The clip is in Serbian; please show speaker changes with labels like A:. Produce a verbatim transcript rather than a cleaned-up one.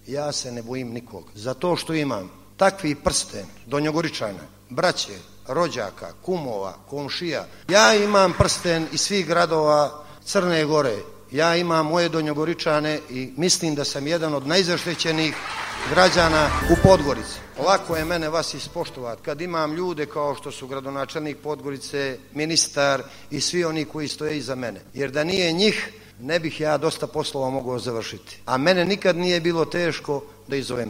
A: Ja se ne bojim nikog. Zato što imam takvi prsten Donjogoričana, braće, rođaka, kumova, komšija. Ja imam prsten iz svih gradova Crne Gore. Ja imam moje Donjogoričane i mislim da sam jedan od najzaštećenijih građana u Podgorici. Lako je mene vas ispoštovati kad imam ljude kao što su gradonačelnik Podgorice, ministar i svi oni koji stoje iza mene. Jer da nije njih, ne bih ja dosta poslova mogao završiti. A mene nikad nije bilo teško da izovem